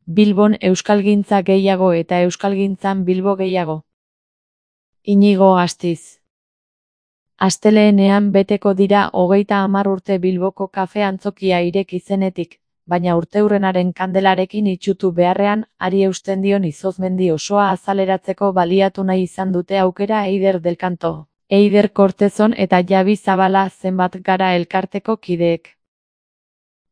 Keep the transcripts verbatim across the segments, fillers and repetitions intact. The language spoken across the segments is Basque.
Bilbon euskalgintza gehiago eta euskalgintzan Bilbo gehiago. Inigo Astiz. Astelehenean beteko dira hogeita hamar urte Bilboko kafe antzokia ireki zenetik, baina urteurrenaren kandelarekin itsutu beharrean, ari eusten dion izozmendi osoa azaleratzeko baliatu nahi izan dute aukera Eider del Canto, Eider Kortezon eta Javi Zabala zenbat gara elkarteko kideek.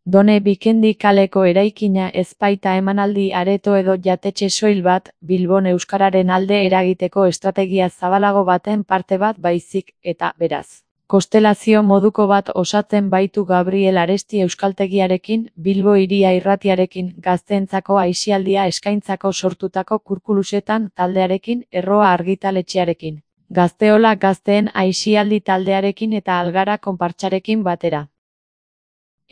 Done Bikendi kaleko eraikina ez baita emanaldi areto edo jatetxe soil bat, Bilbon euskararen alde eragiteko estrategia zabalago baten parte bat baizik, eta, beraz, konstelazio moduko bat osatzen baitu Gabriel Aresti euskaltegiarekin, Bilbo Hiria Irratiarekin, gazteentzako aisialdia eskaintzako sortutako Kurkulusetan taldearekin, Erroa argitaletxearekin, Gazteola gazteen aisialdi taldearekin eta Algara konpartsarekin batera.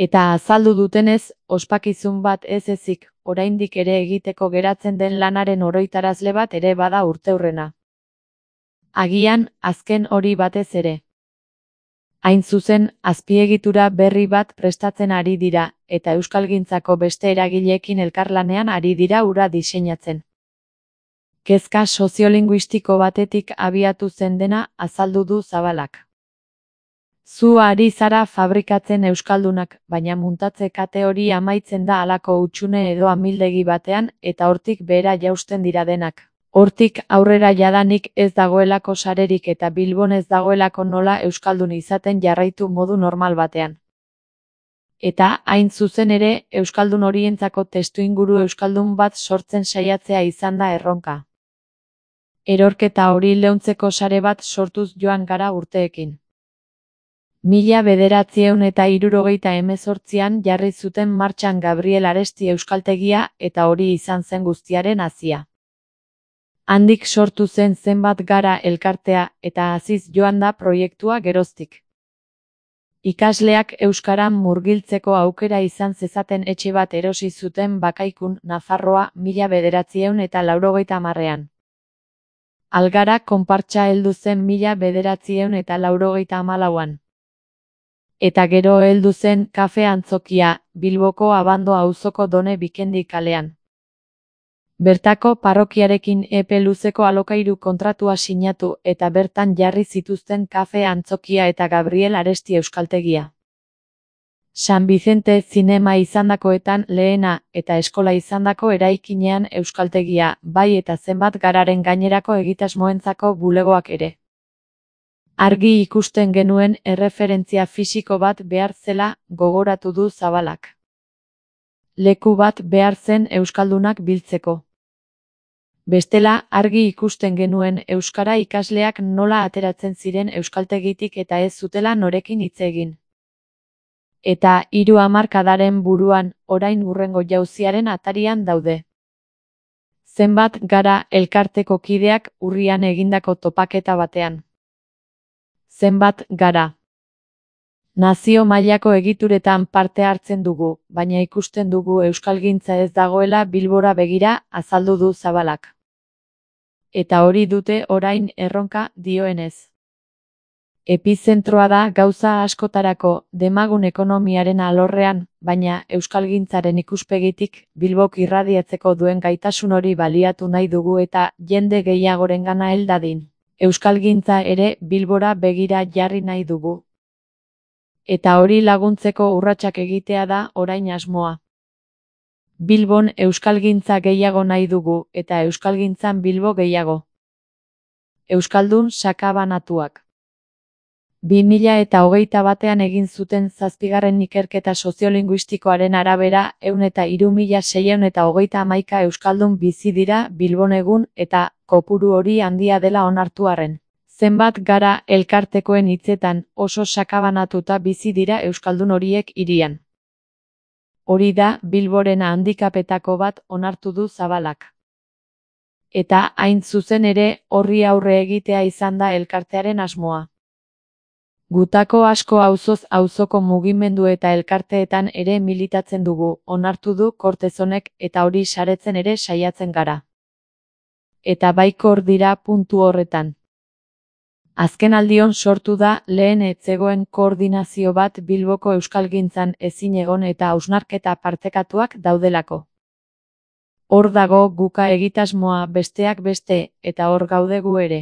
Eta azaldu dutenez, ospakizun bat ez ezik, oraindik ere egiteko geratzen den lanaren oroitarazle bat ere bada urteurrena. Agian, azken hori batez ere. Hain zuzen, azpiegitura berri bat prestatzen ari dira, eta euskalgintzako beste eragileekin elkarlanean ari dira hura diseinatzen. Kezka soziolinguistiko batetik abiatu zen dena azaldu du Zabalak. Zu ari zara fabrikatzen euskaldunak, baina muntatze kate hori amaitzen da halako hutsune edo amildegi batean, eta hortik behera jausten dira denak. Hortik aurrera jadanik ez dagoelako sarerik eta Bilbon ez dagoelako nola euskaldun izaten jarraitu modu normal batean. Eta, hain zuzen ere, euskaldun horientzako testuinguru euskaldun bat sortzen saiatzea izan da erronka. Erorketa hori leuntzeko sare bat sortuz joan gara urteekin. Mila bederatziehun eta hirurogeita hemezortzian jarri zuten martxan Gabriel Aresti euskaltegia eta hori izan zen guztiaren hazia. Handik sortu zen zenbat gara elkartea eta haziz joan da proiektua geroztik. Ikasleak euskaran murgiltzeko aukera izan zezaten etxe bat erosi zuten Bakaikun, Nafarroa, mila bederatziehun eta laurogeita hamarrean. Algara konpartsa heldu zen mila bederatziehun eta laurogeita hamalauan. Eta gero heldu zen kafe antzokia, Bilboko Abando auzoko Done Bikendi kalean. Bertako parrokiarekin epe luzeko alokairu kontratua sinatu eta bertan jarri zituzten kafe antzokia eta Gabriel Aresti euskaltegia. San Vicente zinema izandakoetan lehena eta eskola izandako eraikinean euskaltegia, bai eta zenbat gararen gainerako egitasmoentzako bulegoak ere. Argi ikusten genuen erreferentzia fisiko bat behar zela gogoratu du Zabalak. Leku bat behar zen euskaldunak biltzeko. Bestela, argi ikusten genuen euskara ikasleak nola ateratzen ziren euskaltegitik eta ez zutela norekin hitz egin. Eta hiru hamarkadaren buruan, orain hurrengo jauziaren atarian daude. Zenbat gara elkarteko kideak urrian egindako topaketa batean. Zenbat gara. Nazio mailako egituretan parte hartzen dugu, baina ikusten dugu euskalgintza ez dagoela Bilbora begira, azaldu du Zabalak. Eta hori dute orain erronka dioenez. Epizentroa da gauza askotarako, demagun ekonomiaren alorrean, baina euskalgintzaren ikuspegitik Bilbok irradiatzeko duen gaitasun hori baliatu nahi dugu eta jende gehiagorengana hel dadin. Euskalgintza ere Bilbora begira jarri nahi dugu. Eta hori laguntzeko urratsak egitea da orain asmoa. Bilbon euskalgintza gehiago nahi dugu eta euskalgintzan Bilbo gehiago. Euskaldun sakabanatuak. bi mila eta hogeita batean egin zuten zazpigarren ikerketa soziolinguistikoaren arabera ehun eta hiru mila seiehun eta hogeita hamaika euskaldun bizi dira Bilbon egun eta kopuru hori handia dela onartu arren. Zenbat gara elkartekoen hitzetan oso sakabanatuta bizi dira euskaldun horiek hirian. Hori da Bilboren handikapetako bat onartu du Zabalak. Eta hain zuzen ere horri aurre egitea izan da elkartearen asmoa. Gutako asko auzoz auzoko mugimendu eta elkarteetan ere militatzen dugu, onartu du Kortezonek eta hori saretzen ere saiatzen gara. Eta baikor dira puntu horretan. Azkenaldion sortu da lehen ez zegoen koordinazio bat Bilboko euskalgintzan ezin egon eta hausnarketa partekatuak daudelako. Hor dago guka egitasmoa besteak beste, eta hor gaude gu ere.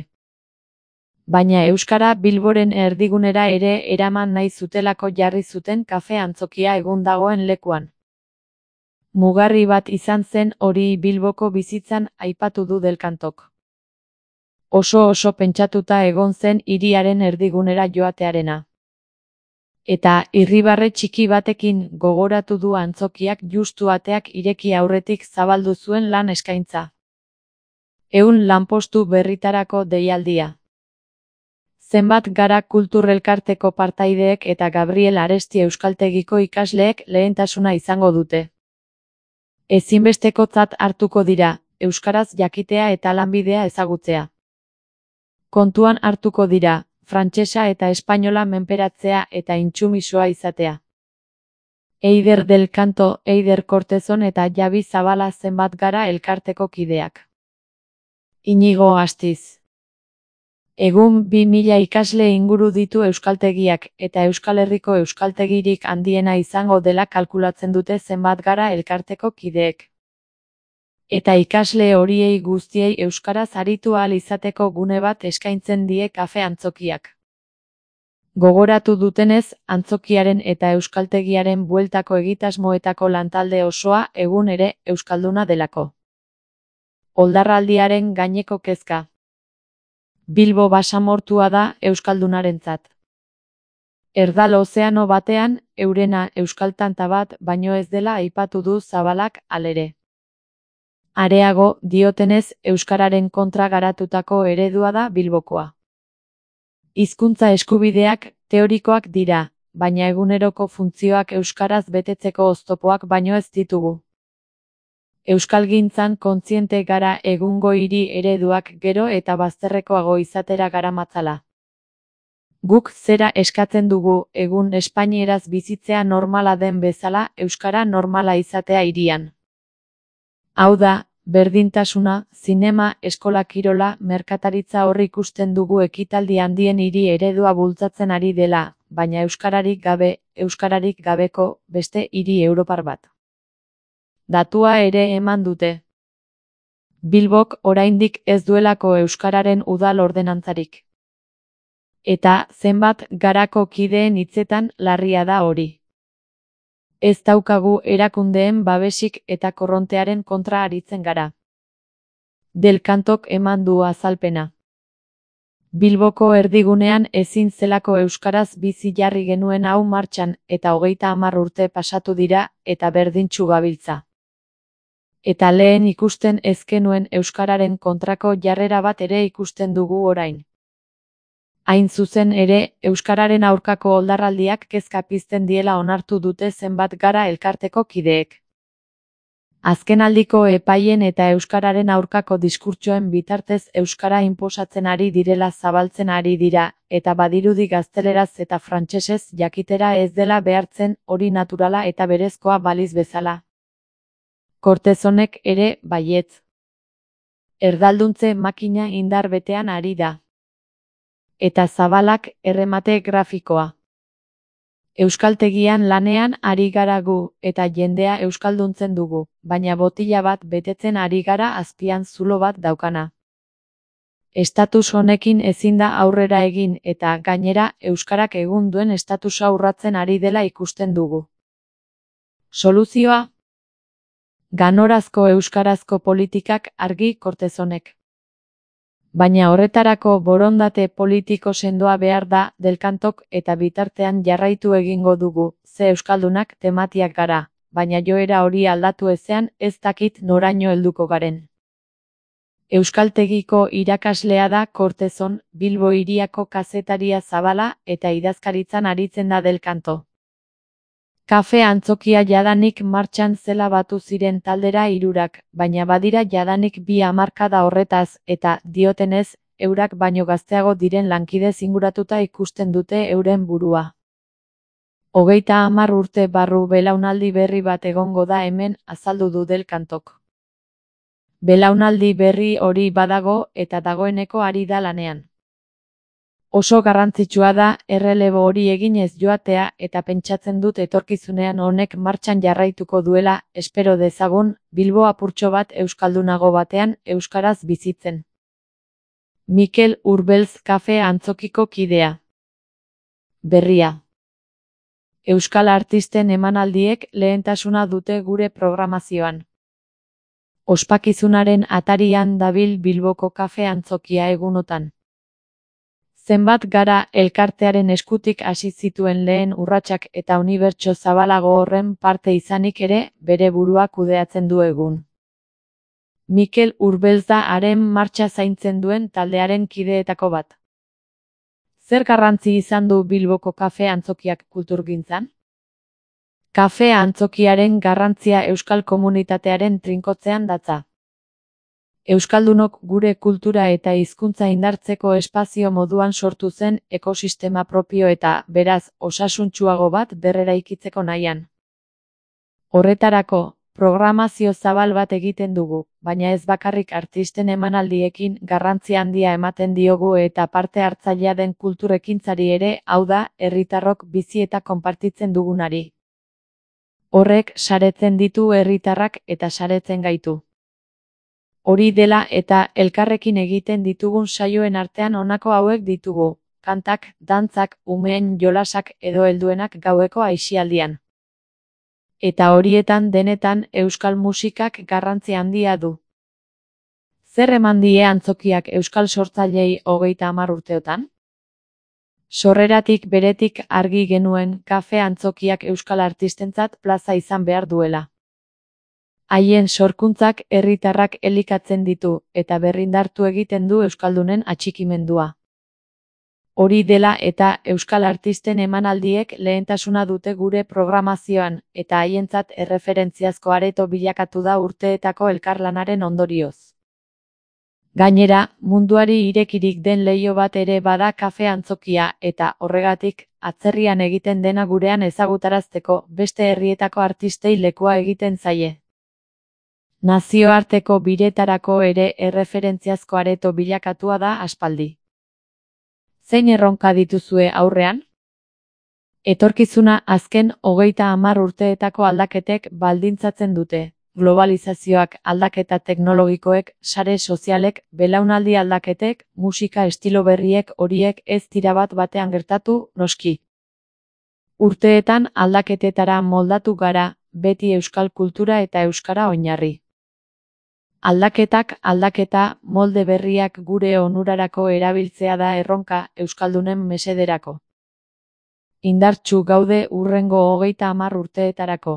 Baina euskara Bilboren erdigunera ere eraman nahi zutelako jarri zuten kafe antzokia egun dagoen lekuan. Mugarri bat izan zen hori Bilboko bizitzan aipatu du Del Cantok. Oso oso pentsatuta egon zen hiriaren erdigunera joatearena. Eta irribarre txiki batekin gogoratu du antzokiak justu ateak ireki aurretik zabaldu zuen lan eskaintza. Ehun lanpostu berritarako deialdia. Zenbat gara kulturrelkarteko partaideek eta Gabriel Aresti Euskaltegiko ikasleek lehentasuna izango dute. Ezinbestekotzat hartuko dira, euskaraz jakitea eta lanbidea ezagutzea. Kontuan hartuko dira, frantsesa eta espainola menperatzea eta intsumisoa izatea. Eider Del Canto, Eider Kortezon eta Javi Zabala zenbat gara elkarteko kideak. Inigo Astiz. Egun bi mila ikasle inguru ditu euskaltegiak, eta Euskal Herriko euskaltegirik handiena izango dela kalkulatzen dute zenbat gara elkarteko kideek. Eta ikasle horiei guztiei euskaraz aritu ahal izateko gune bat eskaintzen die kafe antzokiak. Gogoratu dutenez, antzokiaren eta euskaltegiaren bueltako egitasmoetako lantalde osoa egun ere euskalduna delako. Oldarraldiaren gaineko kezka. Bilbo basamortua da euskaldunarentzat. Erdal ozeano batean, eurena euskaltanta bat baino ez dela aipatu du Zabalak halere. Areago, diotenez, euskararen kontra garatutako eredua da Bilbokoa. Hizkuntza eskubideak teorikoak dira, baina eguneroko funtzioak euskaraz betetzeko oztopoak baino ez ditugu. Euskalgintzan kontziente gara egungo hiri ereduak gero eta bazterrekoago izatera garamatzala. Guk zera eskatzen dugu egun espainieraz bizitzea normala den bezala euskara normala izatea hirian. Hau da, berdintasuna, zinema, eskola kirola, merkataritza hor ikusten dugu ekitaldi handien hiri eredua bultzatzen ari dela, baina euskararik gabe, euskararik gabeko, beste hiri europar bat. Datua ere eman dute. Bilbok oraindik ez duelako euskararen udal ordenantzarik. Eta zenbat garako kideen hitzetan larria da hori. Ez daukagu erakundeen babesik eta korrontearen kontra aritzen gara. Del Cantok eman du azalpena. Bilboko erdigunean ezin zelako euskaraz bizi jarri genuen hau martxan eta hogeita hamar urte pasatu dira eta berdintsu gabiltza. Eta lehen ikusten ez genuen euskararen kontrako jarrera bat ere ikusten dugu orain. Hain zuzen ere, euskararen aurkako oldarraldiak kezka pizten diela onartu dute zenbat gara elkarteko kideek. Azkenaldiko epaien eta euskararen aurkako diskurtsoen bitartez euskara inposatzen ari direla zabaltzen ari dira, eta badirudi gazteleraz eta frantsesez jakitera ez dela behartzen hori naturala eta berezkoa baliz bezala. Kortezonek ere baietz. Erdalduntze makina indar betean ari da. Eta Zabalak erremate grafikoa. Euskaltegian lanean ari gara gu, eta jendea euskalduntzen dugu, baina botila bat betetzen ari gara azpian zulo bat daukana. Estatus honekin ezin da aurrera egin eta gainera euskarak egun duen estatusa urratzen ari dela ikusten dugu. Soluzioa? Ganorazko euskarazko politikak argi Kortezonek. Baina horretarako borondate politiko sendoa behar da Del Cantok eta bitartean jarraitu egingo dugu, ze euskaldunak tematiak gara, baina joera hori aldatu ezean ez dakit noraino helduko garen. Euskaltegiko irakaslea da Kortezon, Bilbo hiriako kazetaria Zabala eta idazkaritzan aritzen da Del Canto. Kafe antzokia jadanik martxan zela batu ziren taldera hirurak, baina badira jadanik bi hamarkada horretaz, eta, diotenez, eurak baino gazteago diren lankidez inguratuta ikusten dute euren burua. Hogeita hamar urte barru belaunaldi berri bat egongo da hemen, azaldu du Del Cantok. Belaunaldi berri hori badago eta dagoeneko ari da lanean. Oso garrantzitsua da errelebo hori eginez joatea eta pentsatzen dut etorkizunean honek martxan jarraituko duela, espero dezagun, Bilbo apurtxo bat euskaldunago batean euskaraz bizitzen. Mikel Urbeltz kafe antzokiko kidea. Berria. Euskal artisten emanaldiek lehentasuna dute gure programazioan. Ospakizunaren atarian dabil Bilboko kafe antzokia egunotan. Zenbat gara elkartearen eskutik hasi zituen lehen urratsak eta unibertso zabalago horren parte izanik ere bere burua kudeatzen du egun. Mikel Urbeltz da haren martxa zaintzen duen taldearen kideetako bat. Zer garrantzi izan du Bilboko kafe antzokiak kulturgintzan? Kafe antzokiaren garrantzia euskal komunitatearen trinkotzean datza. Euskaldunok gure kultura eta hizkuntza indartzeko espazio moduan sortu zen ekosistema propio eta, beraz, osasuntsuago bat berreraikitzeko nahian. Horretarako, programazio zabal bat egiten dugu, baina ez bakarrik artisten emanaldiekin garrantzi handia ematen diogu eta parte hartzailea den kulturekintzari ere, hau da, herritarrok bizi eta konpartitzen dugunari. Horrek saretzen ditu herritarrak eta saretzen gaitu. Hori dela eta elkarrekin egiten ditugun saioen artean honako hauek ditugu, kantak, dantzak, umeen jolasak edo helduenak gaueko aisialdian. Eta horietan denetan euskal musikak garrantzi handia du. Zer eman die antzokiak euskal sortzailei hogeita hamar urteotan? Sorreratik beretik argi genuen kafe antzokiak euskal artistentzat plaza izan behar duela. Haien sorkuntzak herritarrak elikatzen ditu eta berrindartu egiten du euskaldunen atxikimendua. Hori dela eta euskal artisten emanaldiek lehentasuna dute gure programazioan eta haientzat erreferentziazko areto bilakatu da urteetako elkarlanaren ondorioz. Gainera, munduari irekirik den leiho bat ere bada kafe antzokia eta horregatik, atzerrian egiten dena gurean ezagutarazteko beste herrietako artistei lekua egiten zaie. Nazioarteko biretarako ere erreferentziazko areto bilakatua da aspaldi. Zein erronka dituzue aurrean? Etorkizuna azken hogeita hamar urteetako aldaketek baldintzatzen dute. Globalizazioak, aldaketa teknologikoek, sare sozialek, belaunaldi aldaketek, musika estilo berriek horiek ez dira bat batean gertatu, noski. Urteetan aldaketetara moldatu gara, beti euskal kultura eta euskara oinarri. Aldaketak, aldaketa, molde berriak gure onurarako erabiltzea da erronka euskaldunen mesederako. Indartsu gaude hurrengo hogeita hamar urteetarako.